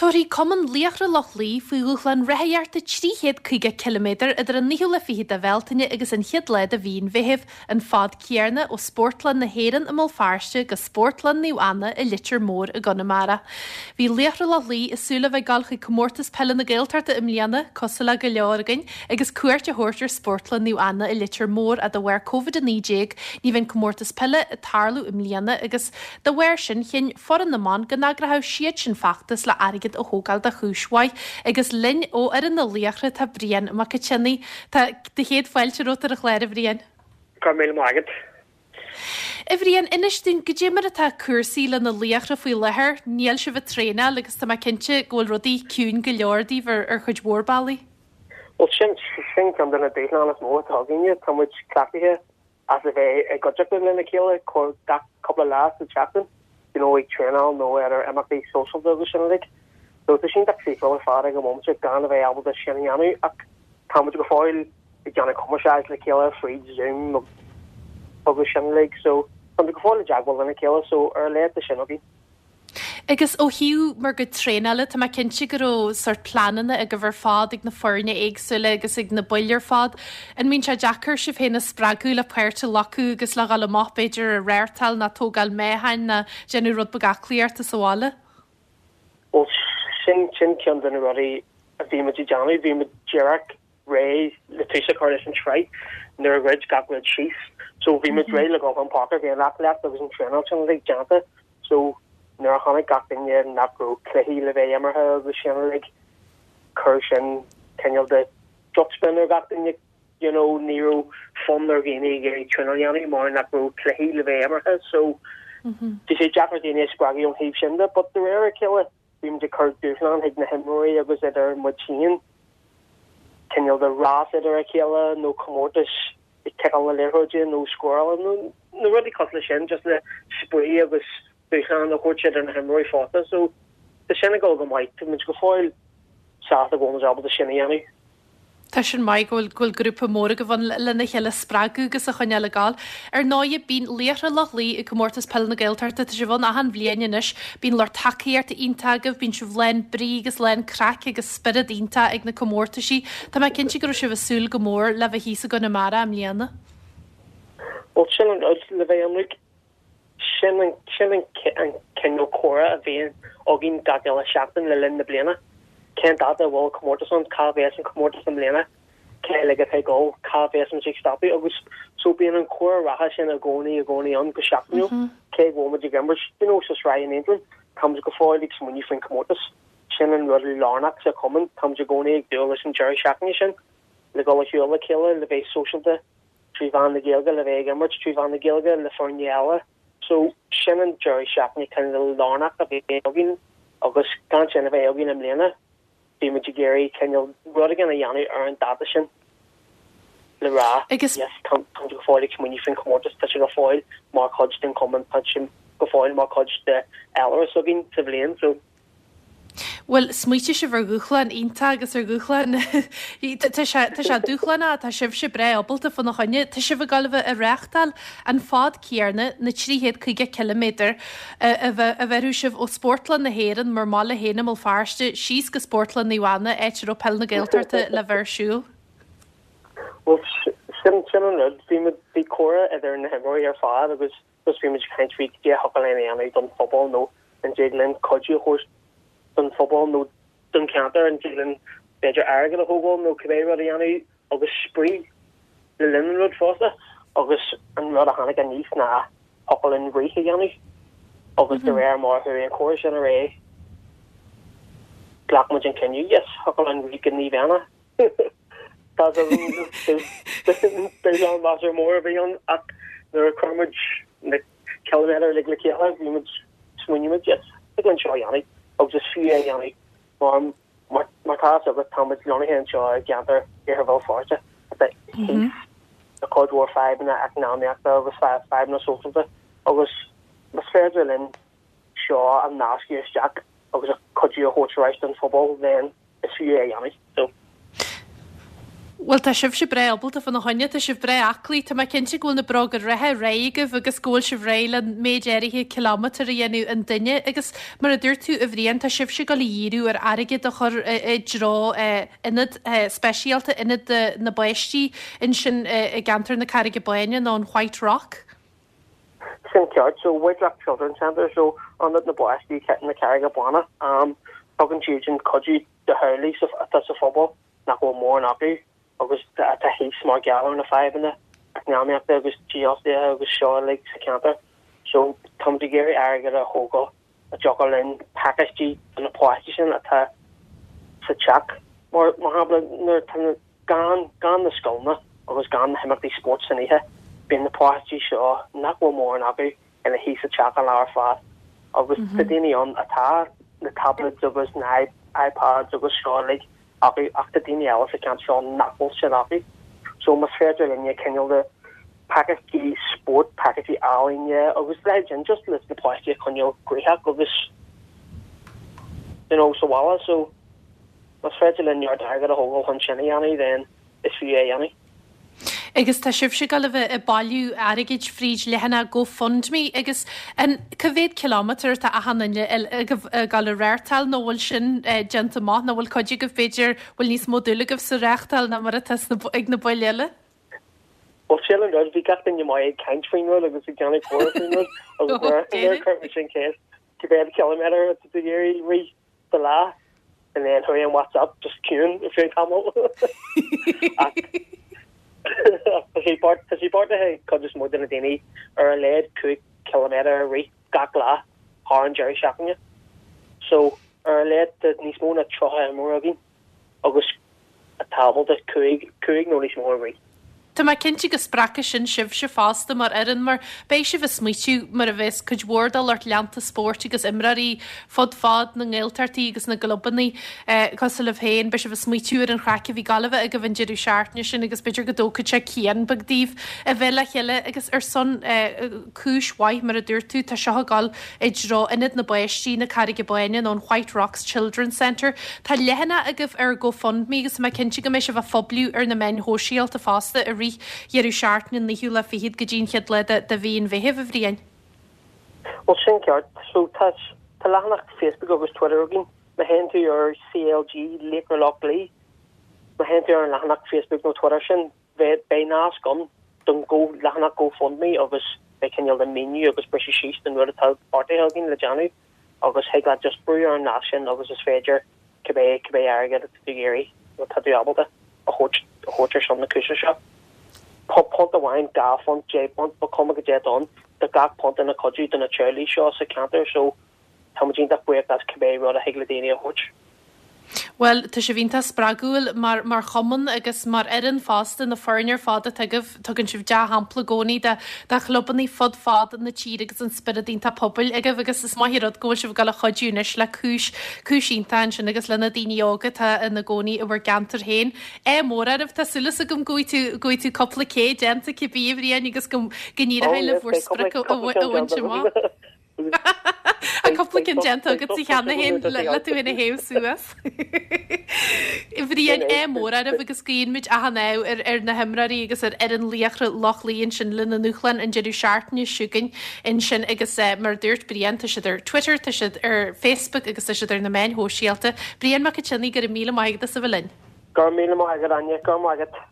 Tabharfaidh Cumann Laochra Loch Lao faoi dhúshlán rothaíochta 350 ciliméadar idir an naoú lá fichead de Bhealtaine agus an chéad lá de mhí an Mheithimh, an fad céanna ó Spórtlann na hÉireann i mBéal Feirste go Spórtlann Naomh Anna i Leitir Móir i gConamara. Bhí Laochra Loch Lao ag súil le bheith ag dul chuig Comórtas Peile na Gaeltachta i mbliana, cosúil le go leor againn, agus cuairt a thabhairt ar Spórtlann Naomh Anna i Leitir Móir ach de bharr Covid-19 ní bheidh an comórtas peile ag tarlú i mbliana agus dá bharr sin chinn foireann na mban go n-eagródh siadsan feachtas le airgead a thógáil do chúis mhaith. Agus linn ó fhoireann na Laochra tá Brian Mac Cionnaith. Tá do chéad fáilte romhat ar an chlár a Bhriain. Go raibh míle maith agat. A Bhriain, inis dúinn goidé mar atá cúrsaí le na Laochra faoi láthair. Níl sibh ag traenáil agus tá mé cinnte go bhfuil rudaí ciúin go leor daoibh ar ar chuid mhór bealaí. Bhuel sin, sin ceann de na dúshláin is mó atá againne. Tá muid cleachtaithe as a bheith i gcuideachta lena chéile gach cúpla lá sa tseachtain, you know, ag traenáil nó ar ar imeachtaí sóisialta agus sin uilig. So tá sé iontach saoithiúil ar fad ag an bhomaite gan a bheith ábalta sin a dhéanamh ach tá muid go fóill ag déanamh cumarsáid le chéile fríd Zoom agus sin uilig so tá muid go fóill i dteagmháil lena chéile so ar a laghad tá sin againn. Agus ó thaobh bhur gcuid traenála, tá mé cinnte go raibh sórt pleananna agaibh ar fad ag na foirne éagsúla agus ag na baill ar fad. An mbíonn sé deacair sibh féin a spreagadh le páirt a ghlacadh agus le dhul amach b'fhéidir ag rothaíocht ná tógáil meáchain ná déanamh rud beag aclaíochta sa bhaile? Bhuel, sin, sin ceann de na rudaí a bhí muid ag déanamh. Bhí muid díreach réidh le tús a chur leis an tsraith nuair a dhruid gach rud síos. So bhí muid réidh le dhul chun páirce, bhí an aclaíocht agus an traenáil sin uilig déanta. So nuair a chonaic gach duine nach raibh cluichí le bheith imeartha agus sin uilig, chuir sin cineál de drochspin ar gach duine, you know, ní raibh fonn ar dhaoine ag iarraidh traenáil a dhéanamh mar nach raibh cluichí le bheith imeartha. So bhí sé deacair daoine a spreagadh ón thaobh sin de, but de réir a chéile bhí muid ag cur dúshlán chuig na himreoirí agus idir muid féin, cineál de rás idir a chéile nó comórtais ag ciceáil na liathróide nó scóráil nó na rudaí cosúil leis sin just le spraoi agus dúshlán a thabhairt idir na himreoirí fosta. So tá sin ag dul go maith, tá muid go fóill sásta go bhfuil muid ábalta sin a dhéanamh. Tá sin maith go bhfuil go bhfuil grúpa mór agaibh ann lena chéile a spreagadh agus a choinneáil ag gabháil. Ar ndóighe, bíonn Laochra Loch Lao ag Comórtas Peile na Gaeltachta, tá sibh ann achan bhliain anois, bíonn lucht tacaíochta iontach agaibh, bíonn sibh lán brí agus lán craic agus spiorad iontach ag na comórtaisí. Tá mé cinnte go raibh sibh ag súil go mór le bheith thíos i gConamara i mbliana. Bhuel, sin an rud, le bheith ionraic, Sin an sin an an cineál comhrá a bhíonn againn gach uile seachtain le linn na bliana. Cén dáta a bhfuil an comórtas ann, cá bheas an comórtas i mbliana, cé uilig atá ag dul, cá bheas muid ag stopadh agus so bíonn an comhrá reatha sin i gcónaí i gcónaí ann go seachtainiúil. Cé go bhfuil muid ag imirt you know sa sraith in Aontroim, tá muid go fóill ag smaoineamh faoin comórtas. Sin an rud lárnach sa chumann, tá muid i gcónaí ag dúil leis an deireadh seachtaine sin le dhul ar shiúl le chéile, le bheith sóisialta. trí mheán na Gaeilge, le bheith ag imirt trí mheán na Gaeilge le foirne eile. So, sin an deireadh seachtaine cineál lárnach a bhí againn agus gan sin a bheith againn i mbliana, bhí muid ag iarraidh cineál rud éigin a dhéanamh ar an dáta sin le rá, Agus. yes, tá muid go fóill ag smaoineamh faoin chomórtas, tá sé go fóill mar chuid den chumann, tá sé go fóill mar chuid de fhéilire s'againn sa bhliain. So. Bhuel, smaoitigh sibh ar dhúshlán iontach agus ar dhúshlán, tá sé, tá sé dúshlánach, tá sibhse breá ábalta fána choinne. Tá sibh ag gabháil a bheith ag reáchtáil an fad céanna, na 350 ciliméadar, a bheirfidh sibh ó Spórtlann na hÉireann, bhur mbaile féin i mBéal Feirste, síos go Spórtlann Naomh Anna, áit a raibh Peil na Gaeltachta le bheith ar siúl. Bhuel, sin, sin an rud. Bhí muid, bhí comhrá idir na himreoirí ar fad agus Just bhí muid ag caint faoi cad é a thiocfadh linn a dhéanamh don phobal nó an dtig linn cuidiú a thabhairt don phobal nó don cheantar, an dtig linn b'fhéidir airgead a thógáil nó cibé rud a dhéanamh agus spraoi le linn an rud fosta. Agus an rud a tháinig aníos ná thiocfadh linn rith a dhéanamh agus de réir mar a chuaigh an comhrá sin ar aghaidh ghlac muid an cinneadh, yes, thiocfadh linn rith go Naomh Anna. Tá dúshlán measartha mór a bhí ann ach nuair a chuir muid na ciliméadair uilig le chéile bhí muid, smaoinigh muid, yes, thig linn seo a dhéanamh agus is fiú é a dhéanamh mar mar tá fhios agat tá muid lonnaithe anseo i gceantar Iarthar Bhéal Feirste atá thíos le cuid mhór fadhbanna eacnamaíochta agus fadhbanna sóisialta agus más féidir linn seo a nascadh isteach agus cuidiú a thabhairt ar ais don phobal then is fiú é a dhéanamh. So. Bhuel, tá sibhse breá ábalta fána choinne, tá sibh breá aclaí, tá mé cinnte go bhfuil na bróga reatha réidh agaibh agus go bhfuil sibh réidh le an méid áirithe kilometre a dhéanamh an duine agus mar a dúirt tú a Bhriain, tá sibhse ag dul a dhíriú ar airgead a chur i dtreo ionad speisialta, ionad na bpáistí ansin i gceantar na Carraige Báine nó an White Rock. Sin ceart. So White Rock Children's Centre, so ionad na bpáistí na Carraige Báine, tugann siad sin cuidiú do theaghlaigh atá sa phobal. nach bhfuil mórán acu agus atá thíos mar gheall ar na fadhbanna eacnamaíochta agus dífhostaíochta agus seo uilig sa cheantar. So táimid ag iarraidh airgead a thógáil a dtiocfadh linn pacáistí do na páistí sin atá sa teach. Mar mar shampla nuair atá na gan gan na scoileanna agus gan na himeachtaí spóirt san oíche bíonn na páistí seo nach bhfuil mórán acu ina shuí sa teach an lá ar fad agus tá daoine ann atá na tablets agus na iPads agus seo uilig acu ach tá daoine eile sa cheantar seo nach bhfuil sin acu. So más féidir linne cineál de pacáistí spóirt, pacáistí ealaíne agus leithéid sin just leis na páistí a choinneáil gnoitheach agus you know sa bhaile so más féidir linn neart airgead a thógáil chun sin a dhéanamh then is fiú é a dhéanamh. Agus tá sibhse ag dul a bheith ag bailiú airgid fríd leathanach GoFundMe agus an cá mhéad kilometre atá achan duine agaibh ag dul a reáchtáil nó bhfuil sin déanta amach nó bhfuil cuid agaibh b'fhéidir bhfuil níos mó dúil agaibh sa reáchtáil ná mar atá ag na baill eile? Bhuel sin an rud, bhí gach duine maith ag caint faoin rud agus ag déanamh comhrá faoin rud agus nuair a chuir muid sin ceist cá mhéad kilometre atá tú ag iarraidh rith? Sa lá and then chuaigh an WhatsApp just ciúin ar feadh tamaill. Ach tá sé beart tá sé beartaithe ag cuid is mó de na daoine ar a laghad 5 ciliméadar a rith gach lá thar an deireadh seachtaine. So ar a laghad tá níos mó ná 30 imreoir againn agus atá ábalta 5 5 nó níos mó a rith. Tá mé cinnte go spreagfaidh sin sibhse fosta mar fhoireann mar beidh sibh ag smaoitiú mar a bheas cuid mhór de lucht leanta spóirt agus imreoirí fud fad na nGaeltachtaí agus na gclubanna cosúil libh féin, beidh sibh ag smaoitiú ar an chraic a bhí ag dul a bheith agaibh an deireadh seachtaine sin agus b'fhéidir go dtógfaidh sé cian beag daoibh a bheith le chéile agus ar son cúis mhaith mar a dúirt tú, tá seo ag dul i dtreo Ionad na bPáistí na Carraige Báine nó an White Rocks Children's Centre. Tá leathanach agaibh ar GoFundMe agus tá mé cinnte go mbeidh sibh á phoibliú ar na meáin shóisialta fosta i rith dheireadh seachtaine an naoú lá fichead go dtí an chéad lá de mhí an Mheithimh, a Bhriain. Bhuel, sin ceart. So, tá tá leathanach Facebook agus Twitter againn. Má théann tú ar CLG Laochra Loch Lao, má théann tú ar an leathanach Facebook nó Twitter sin, Beidh nasc ann don leathanach GoFundMe agus beidh cineál de míniú agus briseadh síos den rud atá beartaithe againn le déanamh agus thig leat just brú ar an nasc sin agus is féidir cibé cibé airgead atá tú ag iarraidh nó atá tú ábalta a thabhairt a thabhairt ar son na cúise seo. Punt amháin, £2, £10, ba chuma goidé atá ann, tá gach punt ina chuidiú do na teaghlaigh seo sa cheantar so Tá muid iontach buíoch as cibé rud a thig le daoine a thabhairt. Bhuel, tá sibh iontach spreagúil mar mar chumann agus mar fhoireann fosta, na foirne ar fad atá agaibh, tugann sibh dea-shampla i gcónaí do do chlubanna fud fad na tíre agus an spiorad iontach pobail agaibh agus is maith an rud go bhfuil sibh ag dul a chuidiú anois le cúis cúis iontach ansin agus le na daoine óga atá ina gcónaí i bhur gceantar féin. Ádh mór oraibh, tá súil agam go bhfaighidh tú go bhfaighidh tú cúpla K déanta cibé a Bhriain agus go go n-éireoidh libh bhur sprioc a bhaint amach. Tá cúpla ceann déanta agat cheana féin le tú féin a théamh suas. Bhriain, ádh mór oraibh agus guíonn muid achan ádh ar ar na himreoirí agus ar fhoireann Laochra Loch Lao ansin lena ndúshlán an deireadh seachtaine seo chugainn ansin agus mar a dúirt Brian tá siad ar Twitter, tá siad ar Facebook agus tá siad ar na meáin shóisialta. Brian Mac an tSionnaigh, go raibh míle maith agat as a bheith linn. Go raibh míle maith agat Áine, go raibh maith agat.